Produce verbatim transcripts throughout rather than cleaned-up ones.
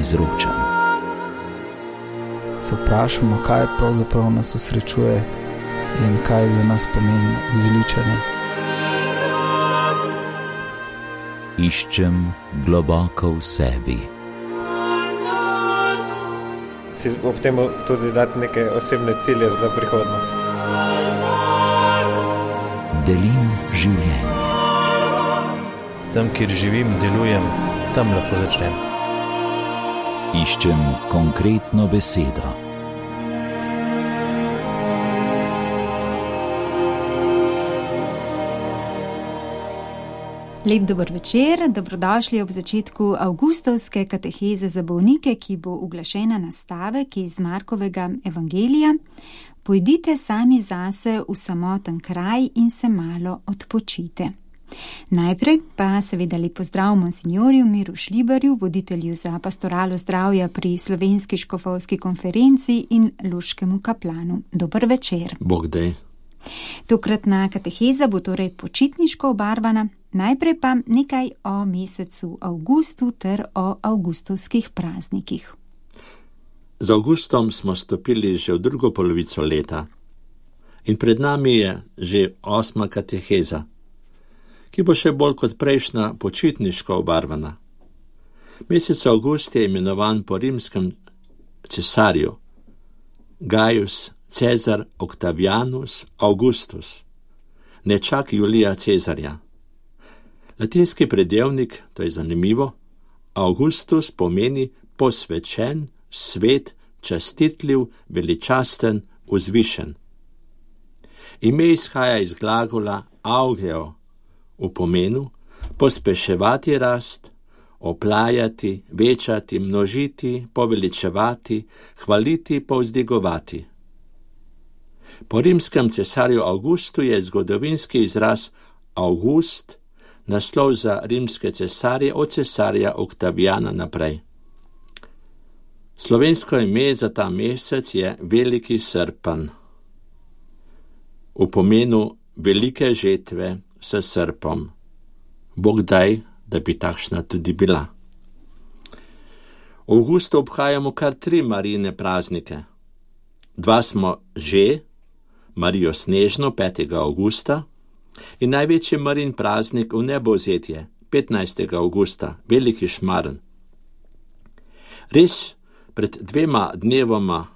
izročam. Se vprašamo, kaj pravzaprav nas osrečuje in kaj za nas pomeni zveličanje. Iščem globoko v sebi. Si ob tem tudi dati neke osebne cilje za prihodnost. Delim življenje. Tam, kjer živim, delujem, tam lahko začnem. Iščem konkretno besedo. Lep dober večer, dobrodošli ob začetku avgustovske kateheze za bolnike, ki bo uglašena na stavek iz Markovega evangelija. Pojdite sami zase v samoten kraj in se malo odpočite. Najprej pa seveda lep pozdrav monsinjorju Miru Šlibarju, voditelju za pastoralo zdravja pri Slovenski škofovski konferenci in luškemu kaplanu. Dober večer. Bog daj. Tokratna kateheza bo torej počitniško obarvana. Najprej pa nekaj o mesecu avgustu ter o avgustovskih praznikih. Z avgustom smo stopili že v drugo polovico leta in pred nami je že osma kateheza, ki bo še bolj kot prejšnja počitniško obarvana. Mesec avgust je imenovan po rimskem cesarju Gaius Cezar Octavianus Augustus, nečak Julija Cezarja. Latinski predelnik, to je zanimivo, Augustus pomeni posvečen, svet, častitljiv, veličasten, vzvišen. Ime izhaja iz glagola augeo, v pomenu pospeševati rast, oplajati, večati, množiti, poveličevati, hvaliti, povzdigovati. Po rimskem cesarju Augustu je zgodovinski izraz August naslov za rimske cesarje od cesarja Octaviana naprej. Slovensko ime za ta mesec je Veliki srpanj, v pomenu velike žetve s srpom. Bog daj, da bi takšna tudi bila. V avgustu obhajamo kar tri Marijine praznike. Dva smo že, Marijo Snežno petega avgusta in največji Marijin praznik v nebovzetje petnajstega avgusta, Veliki šmarn. Res, pred dvema dnevoma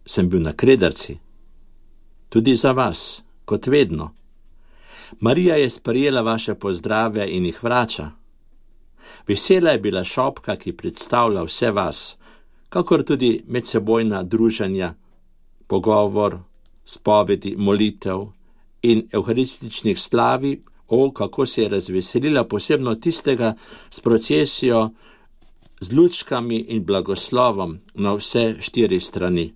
sem bil na Kredarci, tudi za vas, kot vedno. Marija je sprejela vaše pozdrave in jih vrača. Vesela je bila šopka, ki predstavlja vse vas, kakor tudi medsebojna druženja, pogovor, spovedi, molitev in evharističnih slavi, o, kako se je razveselila posebno tistega s procesijo, z lučkami in blagoslovom na vse štiri strani.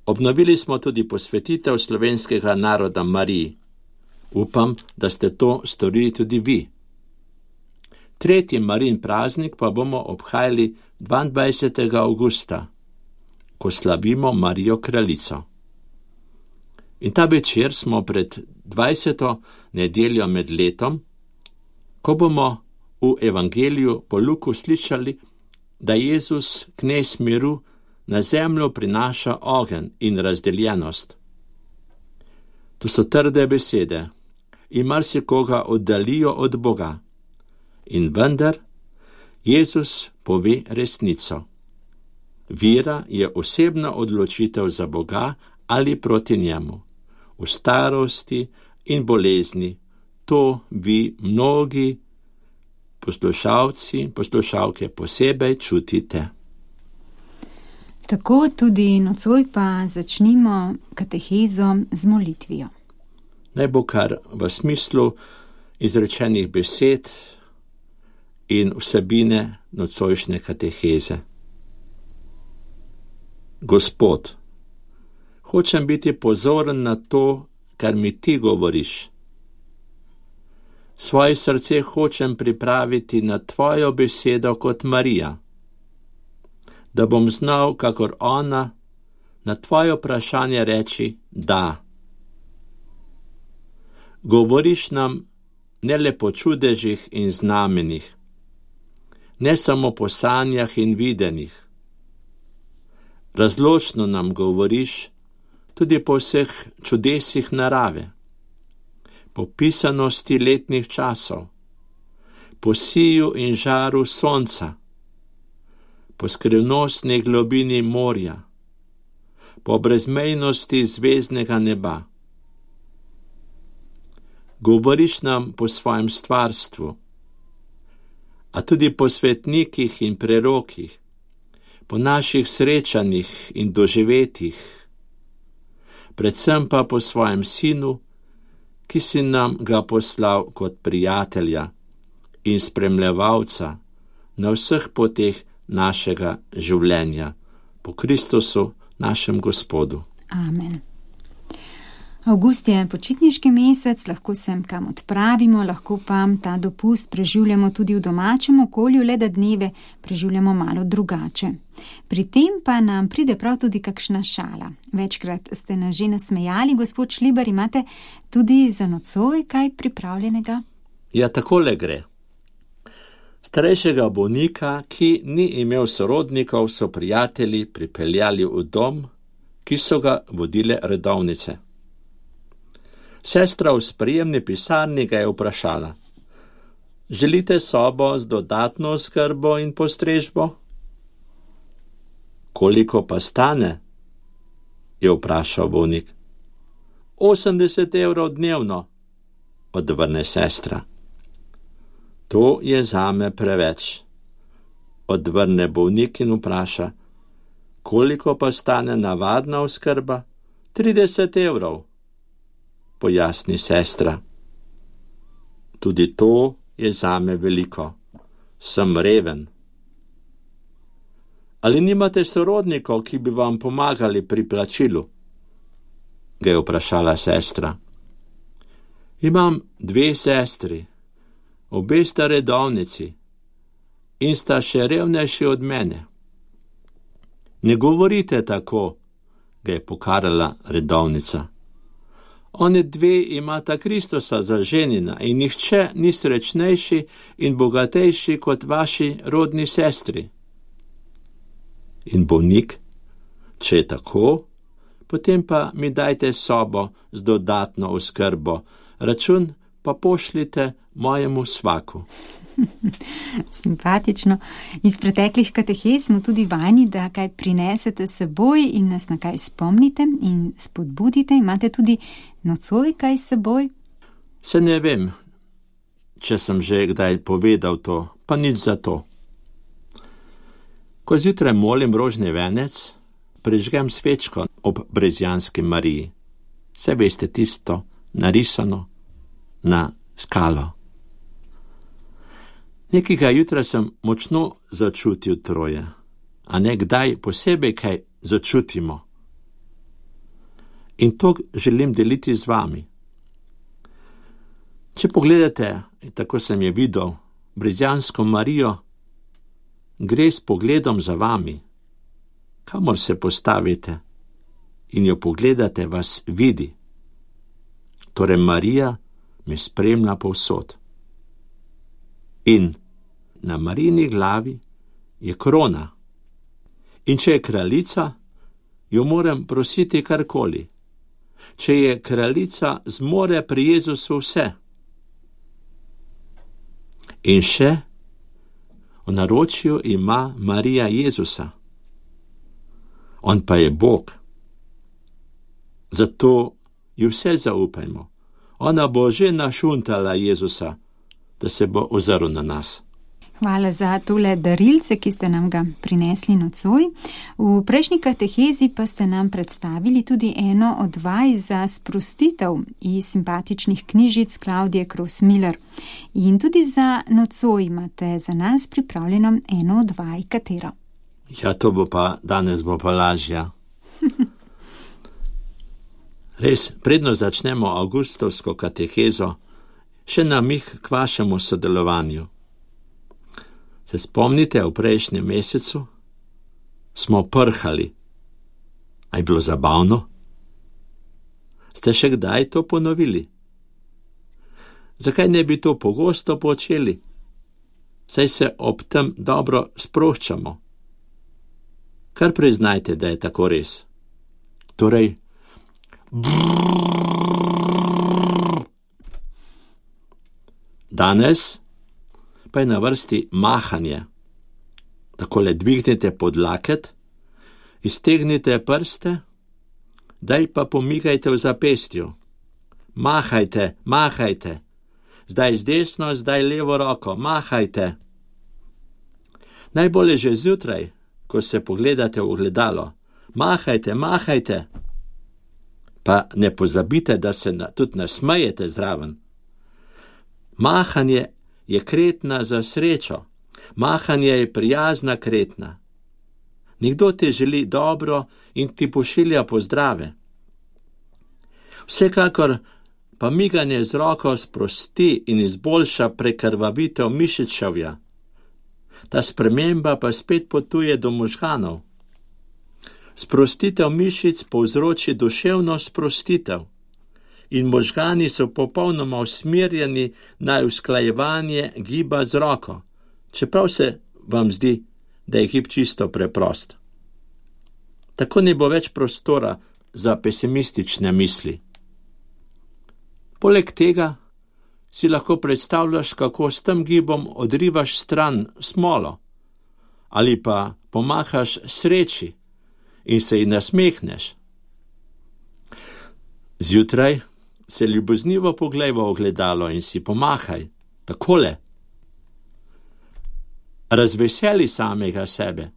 Obnovili smo tudi posvetitev slovenskega naroda Mariji. Upam, da ste to storili tudi vi. Tretji Marijin praznik pa bomo obhajali dvaindvajsetega avgusta, ko slavimo Marijo kraljico. In ta večer smo pred dvajseto nedeljo med letom, ko bomo v evangeliju po Luku slišali, da Jezus, knez miru, na zemljo prinaša ogenj in razdeljenost. To so trde besede in marsikoga oddalijo od Boga. In vendar Jezus pove resnico. Vera je osebna odločitev za Boga ali proti njemu. V starosti in bolezni to vi mnogi poslušalci, poslušalke posebej čutite. Tako tudi nocoj pa začnimo katehezo z molitvijo. Naj bo kar v smislu izrečenih besed in vsebine nocojšnje kateheze. Gospod, hočem biti pozoren na to, kar mi ti govoriš. Svoje srce hočem pripraviti na tvojo besedo kot Marija, da bom znal, kakor ona, na tvoje vprašanje reči da. Govoriš nam ne le po čudežih in znamenjih, ne samo po sanjah in videnjih. Razločno nam govoriš tudi po vseh čudesih narave, po pisanosti letnih časov, po siju in žaru sonca, po skrivnostni globini morja, po brezmejnosti zvezdnega neba. Govoriš nam po svojem stvarstvu, a tudi po svetnikih in prerokih, po naših srečanjih in doživetjih, predvsem pa po svojem sinu, ki si nam ga poslal kot prijatelja in spremljevalca na vseh poteh našega življenja, po Kristusu, našem Gospodu. Amen. Avgust je počitniški mesec, lahko se kam odpravimo, lahko pa ta dopust preživljamo tudi v domačem okolju, le da dneve preživljamo malo drugače. Pri tem pa nam pride prav tudi kakšna šala. Večkrat ste nas že nasmejali, gospod Šlibar, imate tudi za nocoj kaj pripravljenega? Ja, takole gre. Starejšega bolnika, ki ni imel sorodnikov, so prijatelji pripeljali v dom, ki so ga vodile redovnice. Sestra v sprejemni pisarni ga je vprašala: želite sobo z dodatno oskrbo in postrežbo? Koliko pa stane? Je vprašal bolnik. osemdeset evrov dnevno, odvrne sestra. To je zame preveč, odvrne bolnik in vpraša: koliko pa stane navadna oskrba? trideset evrov, pojasni sestra. Tudi to je zame veliko, sem reven. Ali nimate sorodnikov, ki bi vam pomagali pri plačilu? Ga je vprašala sestra. Imam dve sestri, obe sta redovnici in sta še revnejši od mene. Ne govorite tako, ga je pokarala redovnica. Oni dve imata Kristusa za ženina in nihče ni srečnejši in bogatejši kot vaši rodni sestri. In bolnik, če je tako, potem pa mi dajte sobo z dodatno oskrbo, račun pa pošljite mojemu svaku. Simpatično. Iz preteklih katehez smo tudi vajeni, da kaj prinesete seboj in nas na kaj spomnite in spodbudite. Imate tudi nocoj kaj seboj? Se ne vem, če sem že kdaj povedal to, pa nič za to. Ko zjutraj molim rožni venec, prižgem svečko ob Brezjanski Mariji. Se veste, tisto narisano na skalo. Nekega jutra sem močno začutil troje, a ne kdaj posebej kaj začutimo. In to želim deliti z vami. Če pogledate, tako sem je videl, Brezjansko Marijo, gre s pogledom za vami. Kamor se postavite in jo pogledate, vas vidi. Torej Marija me spremlja povsod. In na Marijini glavi je krona. In če je kraljica, jo moram prositi karkoli. Če je kraljica, zmore pri Jezusu vse. In še v naročju ima Marija Jezusa. On pa je Bog. Zato ji vse zaupajmo. Ona bo že našuntala Jezusa, da se bo ozrl na nas. Hvala za tole darilce, ki ste nam ga prinesli nocoj. V prejšnji katehezi pa ste nam predstavili tudi eno od vaj za sprostitev iz simpatičnih knjižic Klaudije Kros-Miller. In tudi za nocoj imate za nas pripravljeno eno od vaj, katero? Ja, to bo pa, danes bo pa lažja. Res, predno začnemo avgustovsko katehezo, še namig k vašemu sodelovanju. Se spomnite, v prejšnjem mesecu smo prhali. A je bilo zabavno? Ste še kdaj to ponovili? Zakaj ne bi to pogosto počeli? saj se ob tem dobro sproščamo. Kar priznajte, da je tako res. Torej, danes pa je na vrsti mahanje. Takole dvignite podlaket, iztegnite prste, daj pa pomigajte v zapestju. Mahajte, mahajte. Zdaj z desno, zdaj levo roko, mahajte. Najbolje že zjutraj, ko se pogledate v ogledalo. Mahajte, mahajte. Pa ne pozabite, da se na, tudi nasmejete zraven. Mahanje je kretna za srečo. Mahanje je prijazna kretna. Nekdo ti želi dobro in ti pošilja pozdrave. Vsekakor pa miganje z roko sprosti in izboljša prekrvavitev mišičevja. Ta sprememba pa spet potuje do možganov. Sprostitev mišic povzroči duševno sprostitev in možgani so popolnoma usmerjeni na usklajevanje giba z roko, čeprav se vam zdi, da je gib čisto preprost. Tako ne bo več prostora za pesimistične misli. Poleg tega si lahko predstavljaš, kako s tem gibom odrivaš stran smolo ali pa pomahaš sreči in se ji nasmehneš. Zjutraj se ljuboznivo poglej v ogledalo in si pomahaj, takole. Razveseli samega sebe.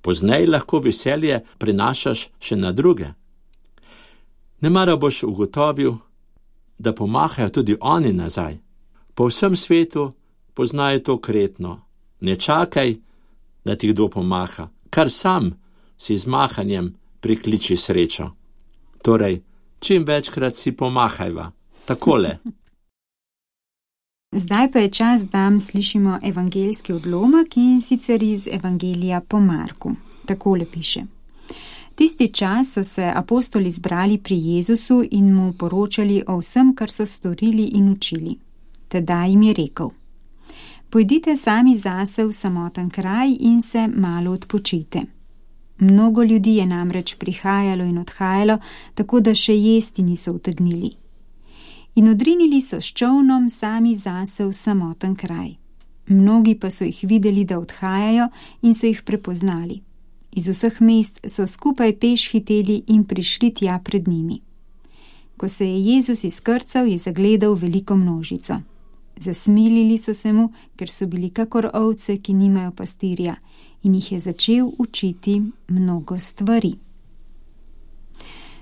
Poznej lahko veselje prenašaš še na druge. Nemara boš ugotovil, da pomahajo tudi oni nazaj. Po vsem svetu poznajo to kretno. Ne čakaj, da ti kdo pomaha, kar sam si z mahanjem prikliči srečo. Torej, čim večkrat si pomahajva. Takole. Zdaj pa je čas, da slišimo evangeljski odlomek in sicer iz Evangelija po Marku. Takole piše. Tisti čas so se apostoli zbrali pri Jezusu in mu poročali o vsem, kar so storili in učili. Tedaj jim je rekel: Pojdite sami zase v samoten kraj in se malo odpočite. Mnogo ljudi je namreč prihajalo in odhajalo, tako da še jesti niso utegnili. In odrinili so s čolnom sami zase v samoten kraj. Mnogi pa so jih videli, da odhajajo, in so jih prepoznali. Iz vseh mest so skupaj peš hiteli in prišli tja pred njimi. Ko se je Jezus izkrcal, je zagledal veliko množico. Zasmilili so se mu, ker so bili kakor ovce, ki nimajo pastirja, in jih je začel učiti mnogo stvari.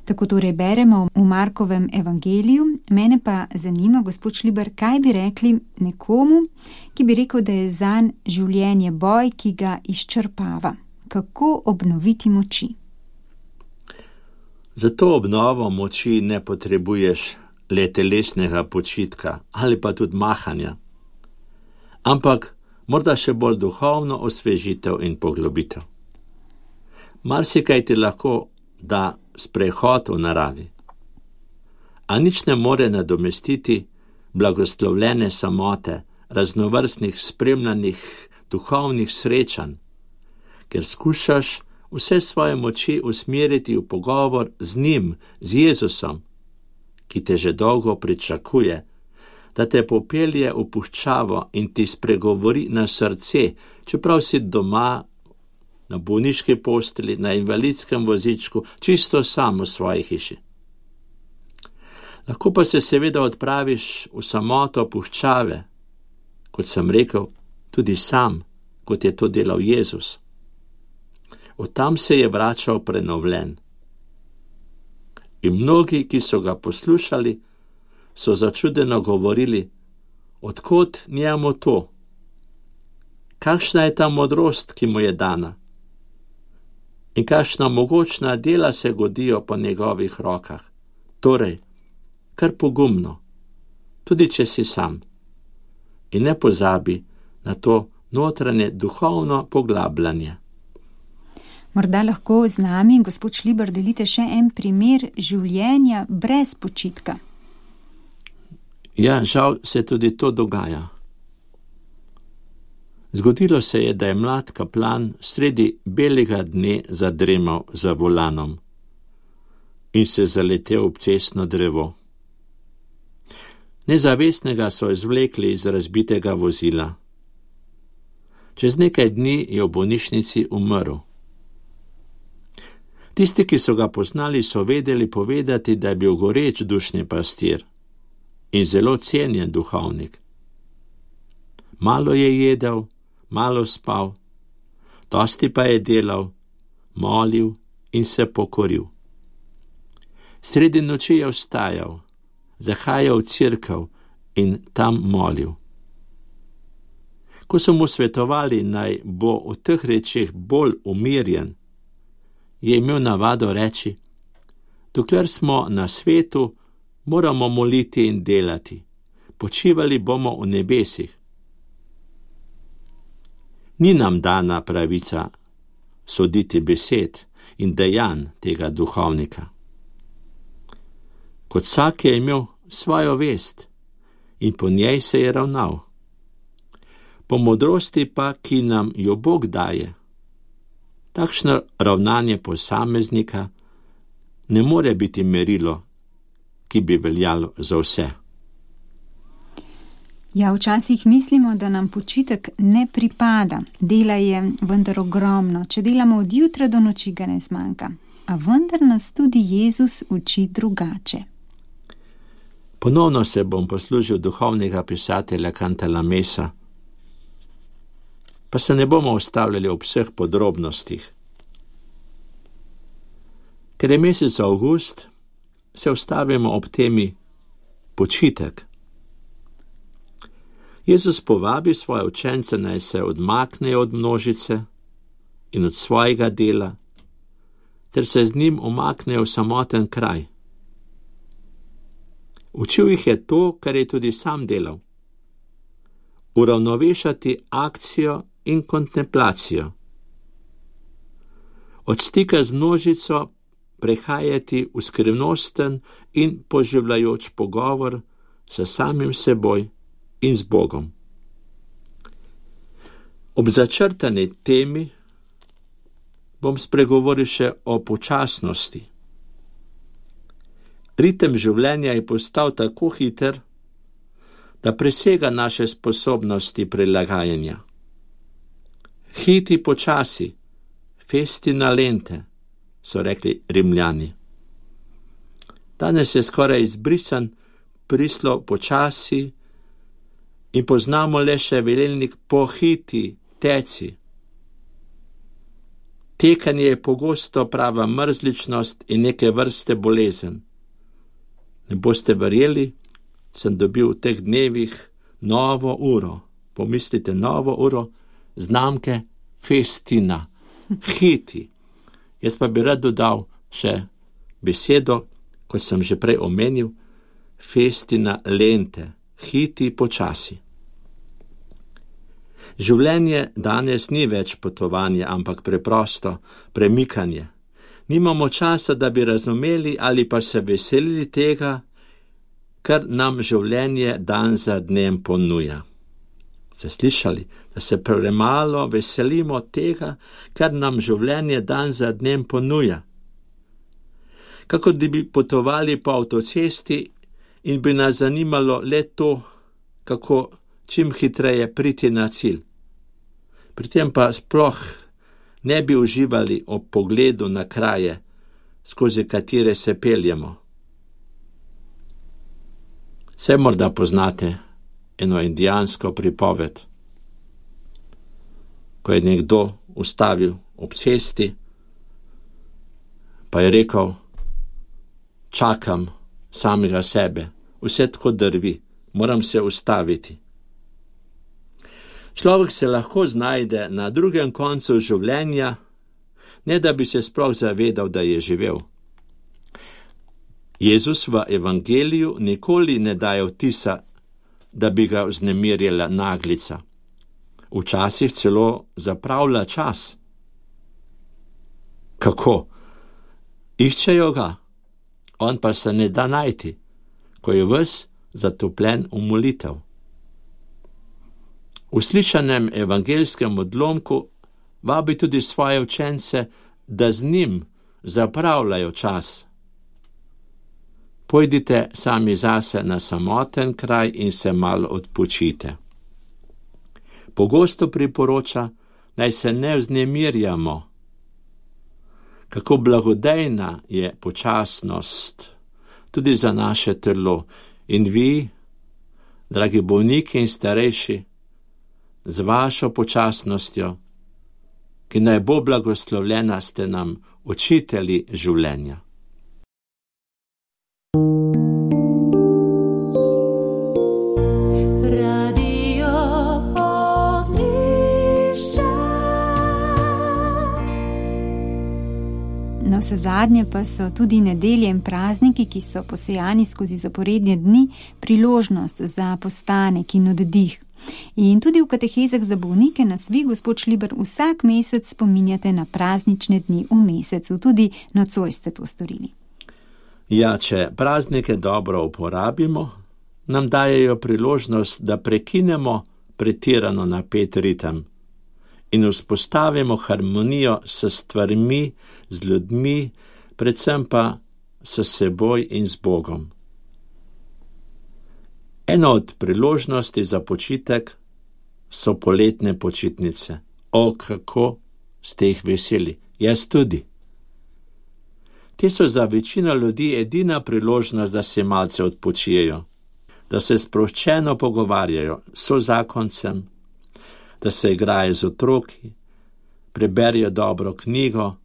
Tako torej beremo v Markovem evangeliju. Mene pa zanima, gospod Šlibar, kaj bi rekli nekomu, ki bi rekel, da je zanj življenje boj, ki ga izčrpava. Kako obnoviti moči? Za to obnovo moči ne potrebuješ le telesnega počitka ali pa tudi mahanja, ampak morda še bolj duhovno osvežitev in poglobitev. Marsikaj ti lahko da sprehod v naravi, a nič ne more nadomestiti blagoslovljene samote, raznovrstnih spremljanih duhovnih srečanj, ker skušaš vse svoje moči usmeriti v pogovor z njim, z Jezusom, ki te že dolgo pričakuje, da te popelje v puščavo in ti spregovori na srce, čeprav si doma, na bolniški postelji, na invalidskem vozičku, čisto sam v svoji hiši. Lahko pa se seveda odpraviš v samoto puščave, kot sem rekel, tudi sam, kot je to delal Jezus. Od tam se je vračal prenovljen. In mnogi, ki so ga poslušali, so začudeno govorili: Odkot njemu to? Kakšna je ta modrost, ki mu je dana? In kakšna mogočna dela se godijo po njegovih rokah? Torej, kar pogumno, tudi če si sam. In ne pozabi na to notranje duhovno poglabljanje. Morda lahko z nami, gospod Šlibar, delite še en primer življenja brez počitka. Ja, žal se tudi to dogaja. Zgodilo se je, da je mlad kaplan sredi belega dne zadremal za volanom in se zaletel ob cestno drevo. Nezavestnega so izvlekli iz razbitega vozila. Čez nekaj dni je v bolnišnici umrl. Tisti, ki so ga poznali, so vedeli povedati, da je bil goreč dušni pastir in zelo cenjen duhovnik. Malo je jedel, malo spal, dosti pa je delal, molil in se pokoril. Sredi noči je vstajal, zahajal v cerkev in tam molil. Ko so mu svetovali, naj bo v teh rečeh bolj umirjen, je imel navado reči: dokler smo na svetu, moramo moliti in delati, počivali bomo v nebesih. Ni nam dana pravica soditi besed in dejanj tega duhovnika. Kot vsak je imel svojo vest in po njej se je ravnal. Po modrosti pa, ki nam jo Bog daje, takšno ravnanje posameznika ne more biti merilo, ki bi veljalo za vse. Ja, včasih mislimo, da nam počitek ne pripada. Dela je vendar ogromno. Če delamo od jutra do noči, ga ne zmanjka. A vendar nas tudi Jezus uči drugače. Ponovno se bom poslužil duhovnega pisatelja Cantalamessa, pa se ne bomo ustavljali ob vseh podrobnostih. Ker je mesec avgust, se ustavimo ob temi počitek. Jezus povabi svoje učence, naj se odmaknejo od množice in od svojega dela, ter se z njim umaknejo v samoten kraj. Učil jih je to, kar je tudi sam delal. Uravnovešati akcijo in kontemplacijo. Od stika z množico prehajati v skrivnosten in poživljajoč pogovor s samim seboj in z Bogom. Ob začrtani temi bom spregovoril še o počasnosti. Ritem življenja je postal tako hiter, da presega naše sposobnosti prilagajanja. Hiti počasi, festina lente, so rekli Rimljani. Danes je skoraj izbrisan prislov počasi in poznamo le še velelnik pohiti, teci. Tekanje je pogosto prava mrzličnost in neke vrste bolezen. Ne boste verjeli, sem dobil v teh dnevih novo uro. Pomislite, novo uro znamke Festina, hiti. Jaz pa bi rad dodal še besedo, kot sem že prej omenil, Festina lente, hiti počasi. Življenje danes ni več potovanje, ampak preprosto premikanje. Nimamo časa, da bi razumeli ali pa se veselili tega, kar nam življenje dan za dnem ponuja. Ste slišali, da se premalo veselimo tega, kar nam življenje dan za dnem ponuja? Kakor da bi potovali po avtocesti in bi nas zanimalo le to, kako čim hitreje priti na cilj. Pri tem pa sploh ne bi uživali ob pogledu na kraje, skozi katere se peljemo. Vse morda poznate eno indijansko pripoved, ko je nekdo ustavil ob cesti, pa je rekel: čakam samega sebe, vse tako drvi, moram se ustaviti. Človek se lahko znajde na drugem koncu življenja, ne da bi se sploh zavedal, da je živel. Jezus v evangeliju nikoli ne daje vtisa, da bi ga vznemirjala naglica. Včasih celo zapravlja čas. Kako? Iščejo ga, on pa se ne da najti, ko je ves zatopljen v molitev. V slišanem evangelskem odlomku vabi tudi svoje učence, da z njim zapravljajo čas. Pojdite sami zase na samoten kraj in se malo odpočite. Pogosto priporoča, naj se ne vznemirjamo. Kako blagodejna je počasnost tudi za naše telo. In vi, dragi bolniki in starejši, z vašo počasnostjo, ki naj bo blagoslovljena, ste nam učitelji življenja. Na vse zadnje pa so tudi nedelje in prazniki, ki so posejani skozi zaporedne dni, priložnost za postanek in oddih. In tudi v katehezah za bolnike nas vi, gospod Šliber, vsak mesec spominjate na praznične dni v mesecu. Tudi nocoj ste to storili. Ja, če praznike dobro uporabimo, nam dajejo priložnost, da prekinemo pretirano napet ritem in vzpostavimo harmonijo s stvarmi, z ljudmi, predvsem pa s seboj in z Bogom. Ena od priložnosti za počitek so poletne počitnice. O, kako ste jih veseli, jaz tudi. Te so za večino ljudi edina priložnost, da se malce odpočijejo, da se sproščeno pogovarjajo s sozakoncem, da se igrajo z otroki, preberijo dobro knjigo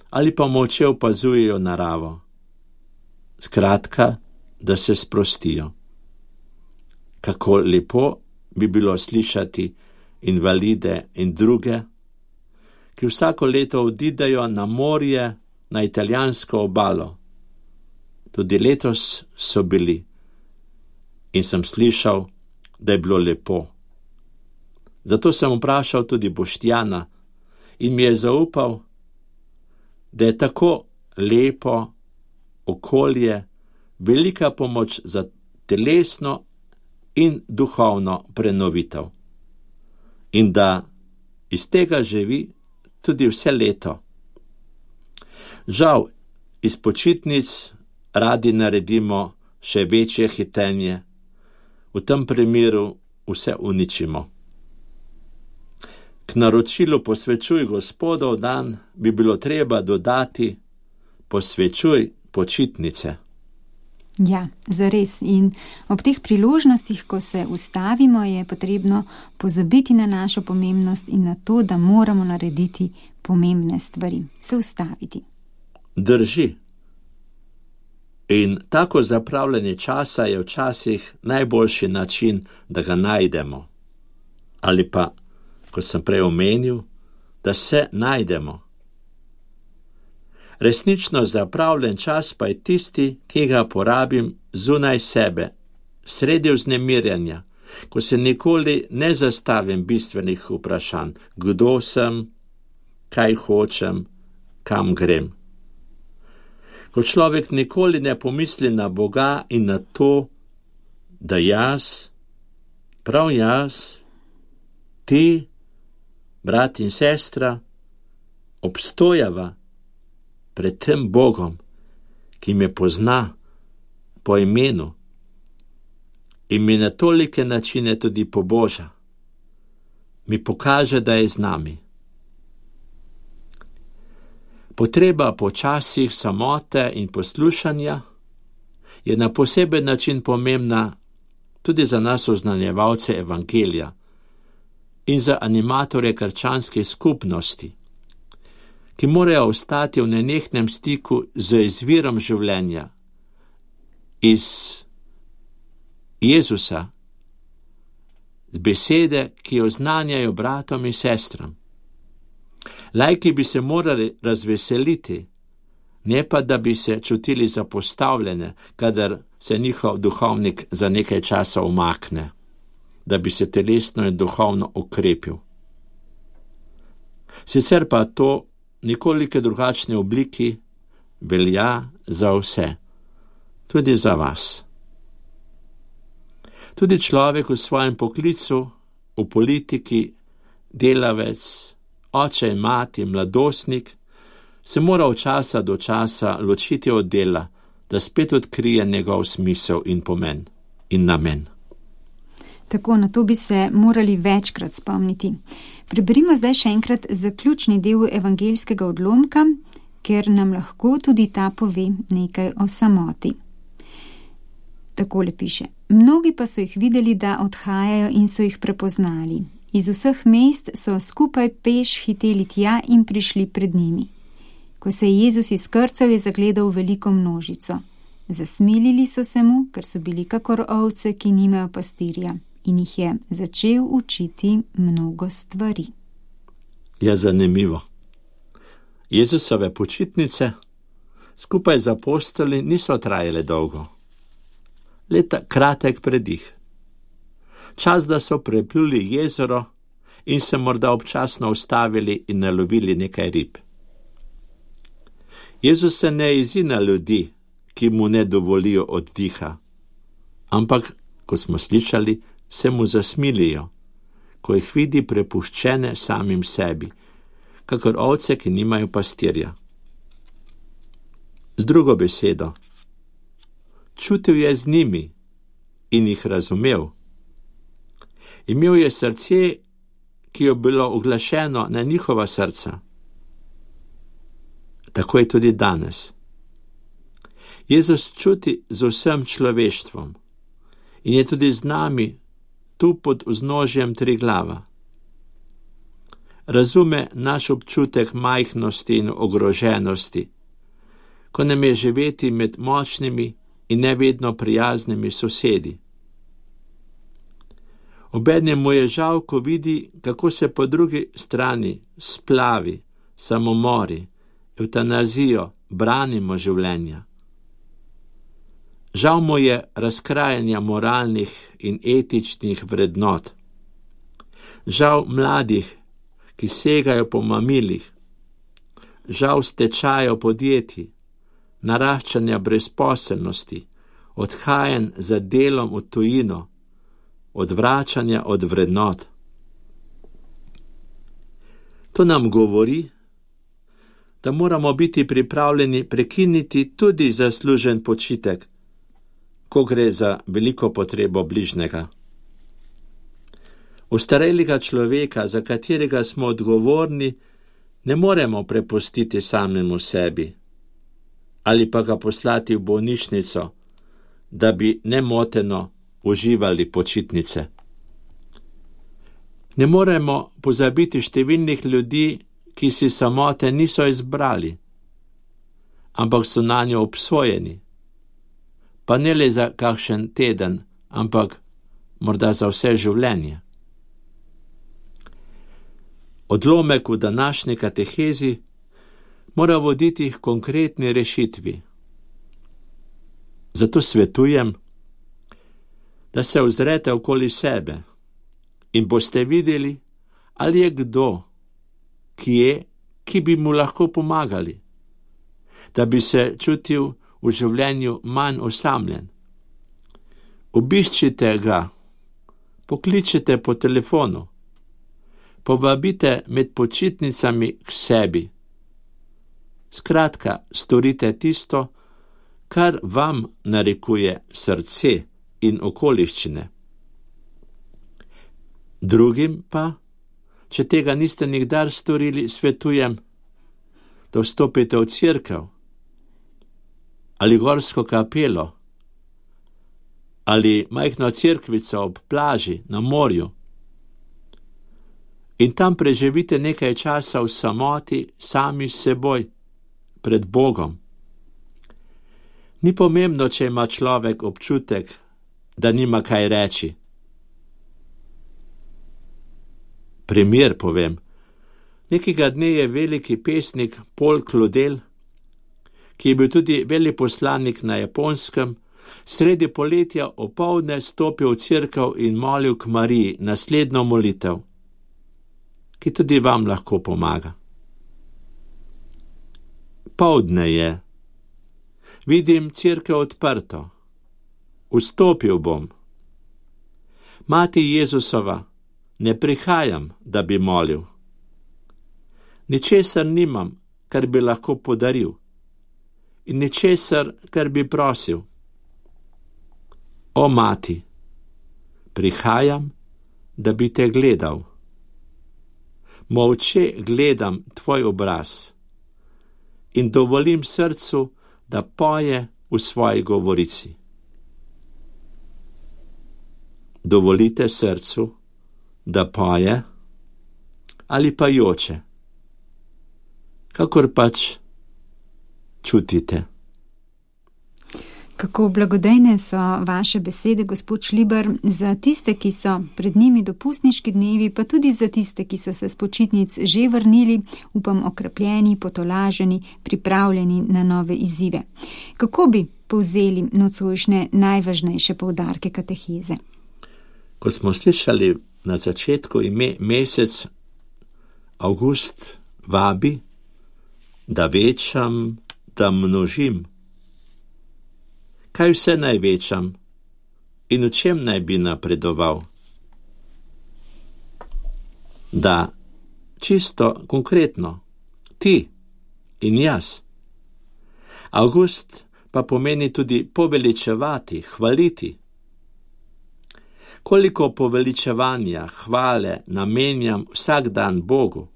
ali pa molče opazujejo naravo. Skratka, da se sprostijo. Kako lepo bi bilo slišati invalide in druge, ki vsako leto odidejo na morje, na italijansko obalo. Tudi letos so bili in sem slišal, da je bilo lepo. Zato sem vprašal tudi Boštjana in mi je zaupal, da je tako lepo okolje velika pomoč za telesno in duhovno prenovitev. In da iz tega živi tudi vse leto. Žal, iz počitnic radi naredimo še večje hitenje, v tem primeru vse uničimo. K naročilu posvečuj Gospodov dan bi bilo treba dodati posvečuj počitnice. Ja, zares. In ob teh priložnostih, ko se ustavimo, je potrebno pozabiti na našo pomembnost in na to, da moramo narediti pomembne stvari, se ustaviti. Drži. In tako zapravljanje časa je včasih najboljši način, da ga najdemo. Ali pa, kot sem prej omenil, da se najdemo. Resnično zapravljen čas pa je tisti, ki ga porabim zunaj sebe, sredi vznemirjanja, ko se nikoli ne zastavim bistvenih vprašanj, kdo sem, kaj hočem, kam grem. Ko človek nikoli ne pomisli na Boga in na to, da jaz, prav jaz, ti, brat in sestra, obstojava pred tem Bogom, ki me pozna po imenu in mi na tolike načine tudi poboža, mi pokaže, da je z nami. Potreba po časih samote in poslušanja je na poseben način pomembna tudi za nas oznanjevalce evangelija in za animatorje krščanskih skupnosti, ki morajo ostati v nenehnem stiku z izvirom življenja, iz Jezusa, z besede, ki jo oznanjajo bratom in sestram. Laiki bi se morali razveseliti, ne pa da bi se čutili zapostavljene, kadar se njihov duhovnik za nekaj časa umakne, da bi se telesno in duhovno okrepil. Sicer pa to nekoliko drugačne obliki velja za vse, tudi za vas. Tudi človek v svojem poklicu, v politiki, delavec, oče in mati, mladostnik, se mora od časa do časa ločiti od dela, da spet odkrije njegov smisel in pomen in namen. Tako, na to bi se morali večkrat spomniti. Preberimo zdaj še enkrat zaključni del evangeljskega odlomka, ker nam lahko tudi ta pove nekaj o samoti. Takole piše. Mnogi pa so jih videli, da odhajajo in so jih prepoznali. Iz vseh mest so skupaj peš hiteli tja in prišli pred njimi. Ko se je Jezus izkrcal, je zagledal veliko množico. Zasmilili so se mu, ker so bili kakor ovce, ki nimajo pastirja, in jih je začel učiti mnogo stvari. Je zanimivo. Jezusove počitnice skupaj z apostoli niso trajale dolgo. Leta kratek predih. Čas, da so prepluli jezero in se morda občasno ustavili in nalovili nekaj rib. Jezus se ne jezi na ljudi, ki mu ne dovolijo oddiha, ampak, ko smo slišali, se mu zasmilijo, ko jih vidi prepuščene samim sebi, kakor ovce, ki nimajo pastirja. Z drugo besedo, čutil je z njimi in jih razumel. Imel je srce, ki je bilo uglašeno na njihova srca. Tako je tudi danes. Jezus čuti z vsem človeštvom in je tudi z nami tu pod vznožjem Triglava. Razume naš občutek majhnosti in ogroženosti, ko nam je živeti med močnimi in nevedno prijaznimi sosedi. Obenem mu je žal, ko vidi, kako se po drugi strani splavi, samomori, evtanazijo, branimo življenja. Žal mu je razkrajanja moralnih in etičnih vrednot. Žal mladih, ki segajo po mamilih. Žal stečajo podjetij, naraščanja brezposelnosti, odhajanj za delom v tujino, odvračanja od vrednot. To nam govori, da moramo biti pripravljeni prekiniti tudi zaslužen počitek, ko gre za veliko potrebo bližnjega. Ostarelega človeka, za katerega smo odgovorni, ne moremo prepustiti samemu sebi ali pa ga poslati v bolnišnico, da bi nemoteno uživali počitnice. Ne moremo pozabiti številnih ljudi, ki si samote niso izbrali, ampak so nanjo obsojeni, pa ne le za kakšen teden, ampak morda za vse življenje. Odlomek v današnji katehezi mora voditi k konkretni rešitvi. Zato svetujem, da se ozrete okoli sebe in boste videli, ali je kdo, ki je, ki bi mu lahko pomagali, da bi se čutil v življenju manj osamljen. Obiščite ga, pokličite po telefonu, povabite med počitnicami k sebi. Skratka, storite tisto, kar vam narekuje srce in okoliščine. Drugim pa, če tega niste nikdar storili, svetujem, da vstopite v cerkev ali gorsko kapelo ali majhno cerkvico ob plaži na morju in tam preživite nekaj časa v samoti sami s seboj pred Bogom. Ni pomembno, če ima človek občutek, da nima kaj reči. Primer povem. Nekega dne je veliki pesnik Paul Claudel, ki je bil tudi veleposlanik na Japonskem, sredi poletja opoldne stopil v cerkev in molil k Mariji naslednjo molitev, ki tudi vam lahko pomaga. Poldne je. Vidim cerkev odprto. Vstopil bom. Mati Jezusova, ne prihajam, da bi molil. Ničesar nimam, kar bi lahko podaril, in ničesar, kar bi prosil. O mati, prihajam, da bi te gledal. Molče gledam tvoj obraz in dovolim srcu, da poje v svoji govorici. Dovolite srcu, da poje ali pa joče, kakor pač čutite. Kako blagodejne so vaše besede, gospod Šlibar, za tiste, ki so pred njimi dopustniški dnevi, pa tudi za tiste, ki so se s počitnic že vrnili, upam okrepljeni, potolaženi, pripravljeni na nove izzive. Kako bi povzeli nocojšnje najvažnejše poudarke kateheze? Kot smo slišali na začetku, ime mesec Avgust vabi, da večam, da množim. Kaj vse naj večam in v čem naj bi napredoval? Da, čisto konkretno, ti in jaz. Avgust pa pomeni tudi poveličevati, hvaliti. Koliko poveličevanja, hvale namenjam vsak dan Bogu?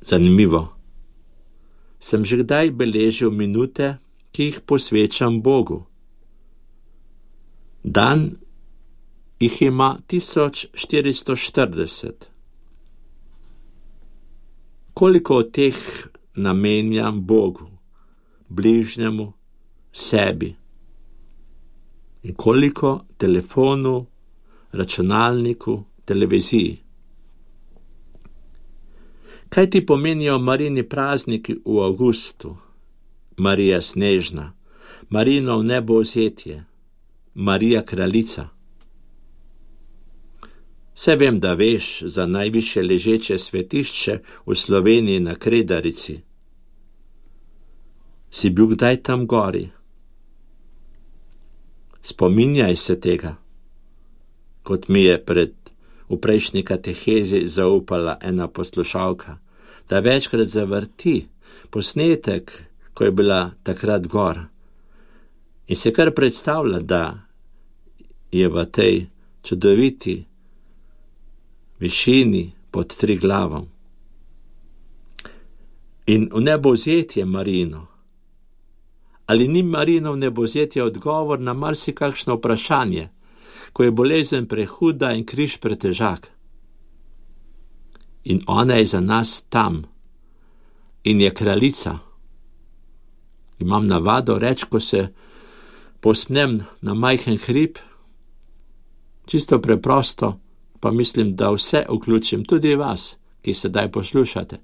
Zanimivo. Sem že kdaj beležil minute, ki jih posvečam Bogu? Dan jih ima tisoč štiristo štirideset. Koliko od teh namenjam Bogu, bližnjemu, sebi? In koliko telefonu, računalniku, televiziji? Kaj ti pomenijo Marini prazniki v avgustu? Marija Snežna, Marinov nebovzetje, Marija Kraljica. Vse vem, da veš za najvišje ležeče svetišče v Sloveniji na Kredarici. Si bil kdaj tam gori? Spominjaj se tega, kot mi je pred v prejšnji katehezi zaupala ena poslušalka, da večkrat zavrti posnetek, ko je bila takrat gor. In se kar predstavlja, da je v tej čudoviti višini pod Triglavom. In v nebovzetje Marino. Ali ni Marinov nebovzetje odgovor na marsikakšno vprašanje, ko je bolezen prehuda in križ pretežak? In ona je za nas tam. In je kraljica. Imam navado reči, ko se posnem na majhen hrib, čisto preprosto, pa mislim, da vse vključim, tudi vas, ki sedaj poslušate.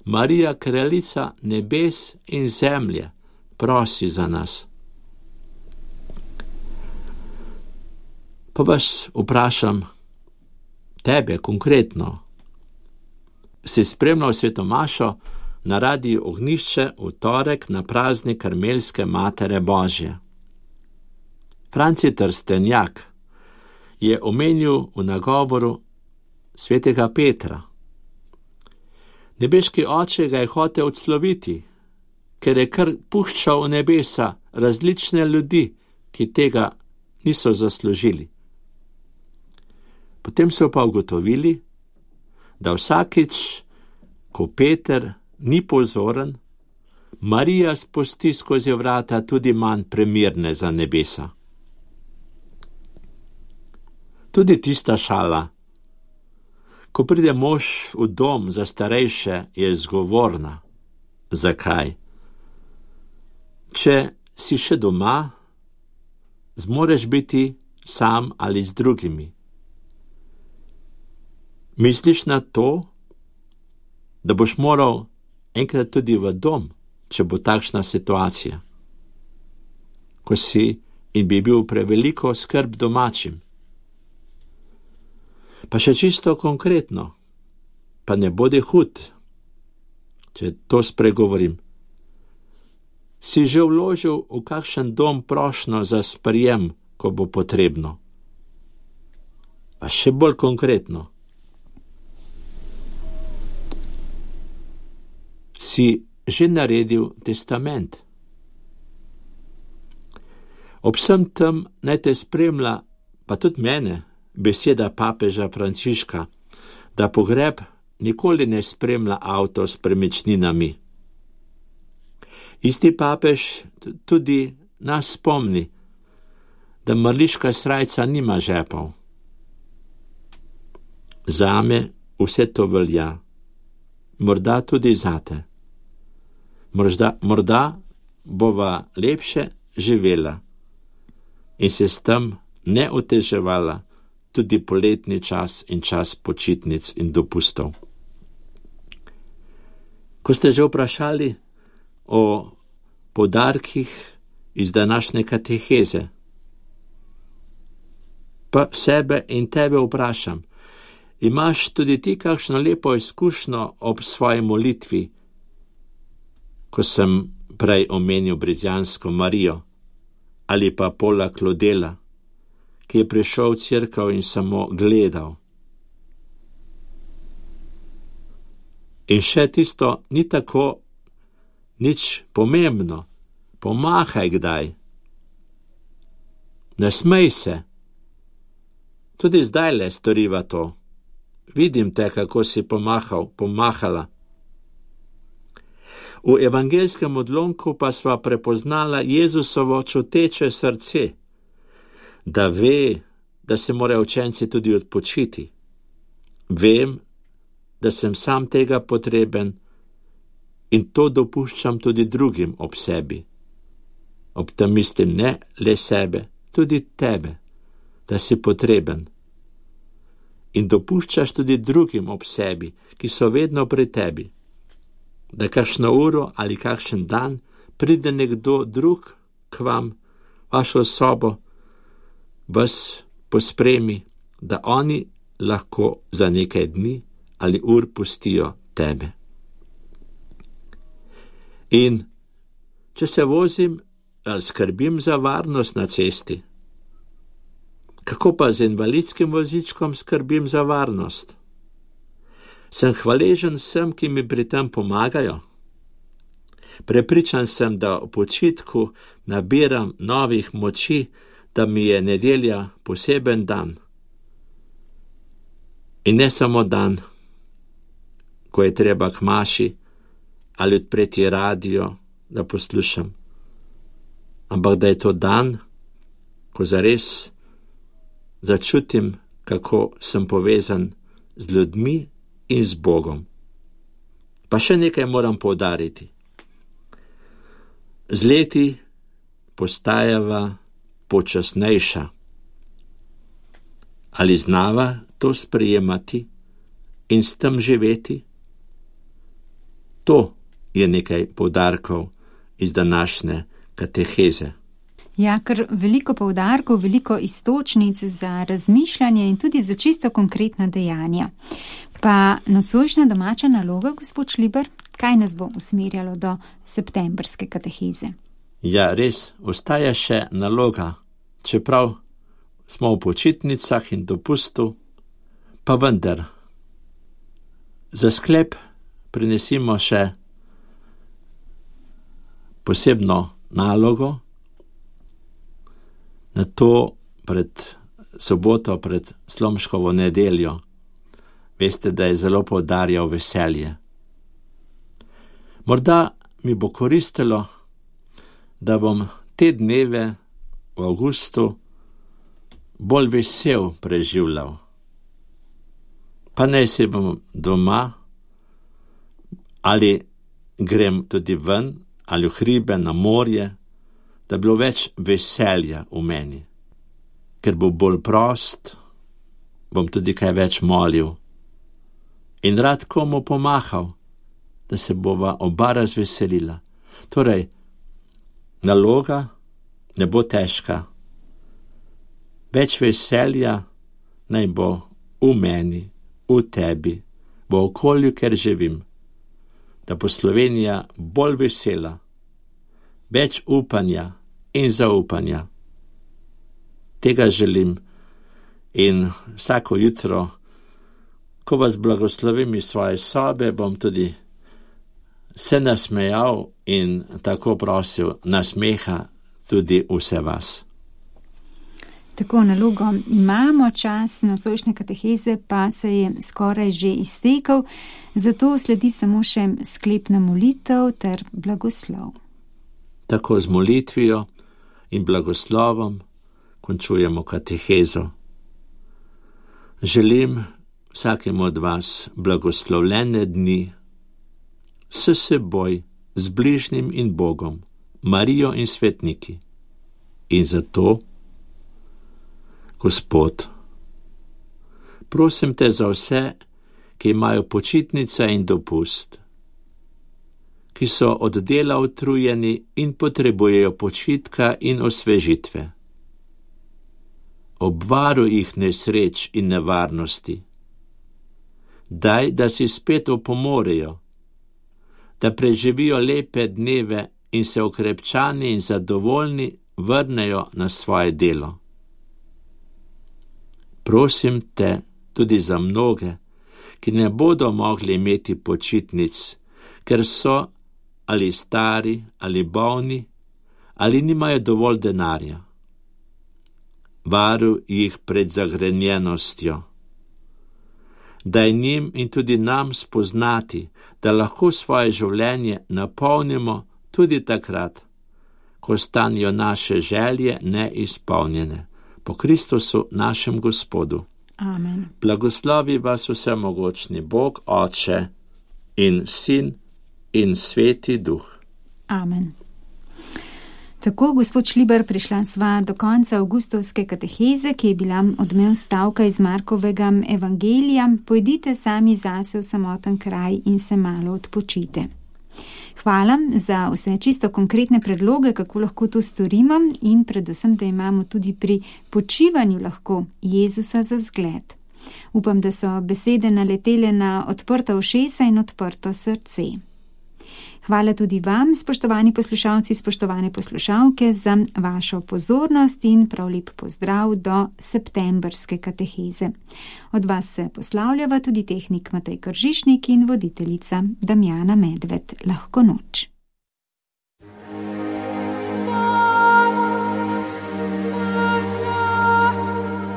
Marija, kraljica nebes in zemlje, prosi za nas. Pa vas vprašam, tebe konkretno, si spremljal svetomašo na Radiu Ognjišče v torek na praznik Karmelske Matere Božje. Franci Trstenjak je omenil v nagovoru svetega Petra. Nebeški oče ga je hotel odsloviti, ker je kar puščal v nebesa različne ljudi, ki tega niso zaslužili. Potem so pa ugotovili, da vsakič, ko Peter ni pozoren, Marija spusti skozi vrata tudi manj primirne za nebesa. Tudi tista šala, ko pride mož v dom za starejše, je zgovorna. Zakaj? Če si še doma, zmoreš biti sam ali z drugimi. Misliš na to, da boš moral enkrat tudi v dom, če bo takšna situacija, ko si in bi bil preveliko skrb domačim. Pa še čisto konkretno, pa ne bodi hud, če to spregovorim. Si že vložil v kakšen dom prošnjo za sprejem, ko bo potrebno? Pa še bolj konkretno. Si že naredil testament? Ob vsem tem naj te spremlja, pa tudi mene, beseda papeža Frančiška, da pogreb nikoli ne spremlja avto s premičninami. Isti papež tudi nas spomni, da mrliška srajca nima žepov. Zame vse to velja, morda tudi zate. Morda, morda bova lepše živela in se s tem ne oteževala tudi poletni čas in čas počitnic in dopustov. Ko ste že vprašali o poudarkih iz današnje kateheze, pa sebe in tebe vprašam, imaš tudi ti kakšno lepo izkušnjo ob svoji molitvi, ko sem prej omenil Brizjansko Marijo, ali pa Pola Klodela, ki je prišel v cerkev in samo gledal. In še tisto ni tako nič pomembno, pomahaj kdaj. Nasmej se. Tudi zdajle storiva to. Vidim te, kako si pomahal, pomahala. V evangelskem odlomku pa sva prepoznala Jezusovo čuteče srce, da ve, da se morajo učenci tudi odpočiti. Vem, da sem sam tega potreben in to dopuščam tudi drugim ob sebi. Ob tem mislim ne le sebe, tudi tebe, da si potreben. In dopuščaš tudi drugim ob sebi, ki so vedno pri tebi, da kakšno uro ali kakšen dan pride nekdo drug k vam, vašo sobo, vas pospremi, da oni lahko za nekaj dni ali ur pustijo tebe. In če se vozim ali skrbim za varnost na cesti, kako pa z invalidskim vozičkom skrbim za varnost? Sem hvaležen vsem, ki mi pri tem pomagajo. Prepričan sem, da v počitku nabiram novih moči, da mi je nedelja poseben dan. In ne samo dan, ko je treba k maši ali odpreti radio, da poslušam, ampak da je to dan, ko zares začutim, kako sem povezan z ljudmi in z Bogom. Pa še nekaj moram poudariti. Z leti postajava počasnejša. Ali znava to sprejemati in s tem živeti? To je nekaj poudarkov iz današnje kateheze. Ja, ker veliko poudarkov, veliko istočnic za razmišljanje in tudi za čisto konkretna dejanja. Pa nocojšnja domača naloga, gospod Šliber, kaj nas bo usmerjalo do septembrske kateheze? Ja, res, ostaja še naloga, čeprav smo v počitnicah in dopustu, pa vendar. Za sklep prinesimo še posebno nalogo, na to pred soboto, pred Slomškovo nedeljo. Veste, da je zelo poudarjal veselje. Morda mi bo koristilo, da bom te dneve v avgustu bolj vesel preživljal. Pa naj se bom doma, ali grem tudi ven, ali v hribe, na morje, da bilo več veselja v meni. Ker bo bolj prost, bom tudi kaj več molil in rad komu pomahal, da se bova oba razveselila. Torej, naloga ne bo težka. Več veselja naj bo v meni, v tebi, v okolju, kjer živim, da bo Slovenija bolj vesela, več upanja in zaupanja. Tega želim In vsako jutro, ko vas blagoslovim iz svoje sobe, bom tudi se nasmejal in tako prosil nasmeha tudi vse vas. Tako, nalogo imamo, čas nocojšnje kateheze pa se je skoraj že iztekel, zato sledi samo še sklepna molitev ter blagoslov. Tako z molitvijo in blagoslovom končujemo katehezo. Želim vsakemu od vas blagoslovljene dni s seboj, z bližnjim in Bogom, Marijo in svetniki. In zato, Gospod, prosim te za vse, ki imajo počitnice in dopust, ki so od dela utrujeni in potrebujejo počitka in osvežitve. Obvaruj jih nesreč in nevarnosti. Daj, da si spet opomorejo, da preživijo lepe dneve in se okrepčani in zadovoljni vrnejo na svoje delo. Prosim te tudi za mnoge, ki ne bodo mogli imeti počitnic, ker so ali stari ali bolni ali nimajo dovolj denarja. Varuj jih pred zagrenjenostjo. Daj njim in tudi nam spoznati, da lahko svoje življenje napolnimo tudi takrat, ko stanijo naše želje neizpolnjene. Po Kristusu našem Gospodu. Amen. Blagoslovi vas vsemogočni Bog, Oče in Sin in Sveti Duh. Amen. Tako, gospod Šlibar, prišla sva do konca avgustovske kateheze, ki je bila odmev stavka iz Markovega evangelija. Pojdite sami zase v samoten kraj in se malo odpočite. Hvala za vse čisto konkretne predloge, kako lahko to storimo in predvsem, da imamo tudi pri počivanju lahko Jezusa za zgled. Upam, da so besede naletele na odprta ušesa in odprto srce. Hvala tudi vam, spoštovani poslušalci, spoštovane poslušalke, za vašo pozornost in prav lep pozdrav do septembrske kateheze. Od vas se poslavljava tudi tehnik Matej Kržišnik in voditeljica Damjana Medved. Lahko noč.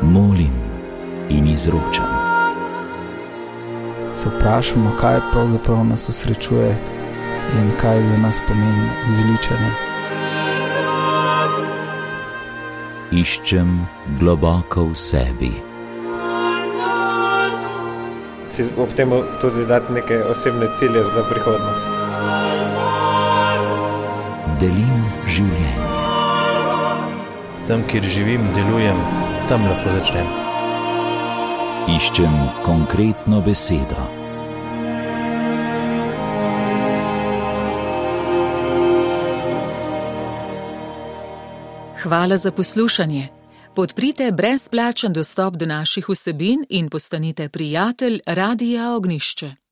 Molim in izročam. Se vprašamo, kaj pravzaprav nas osrečuje in kaj za nas pomeni zveličanje. Iščem globoko v sebi. Si ob tem tudi dati neke osebne cilje za prihodnost. Delim življenje. Tam, kjer živim, delujem, tam lahko začnem. Iščem konkretno besedo. Hvala za poslušanje. Podprite brezplačen dostop do naših vsebin in postanite prijatelj Radia Ognjišče.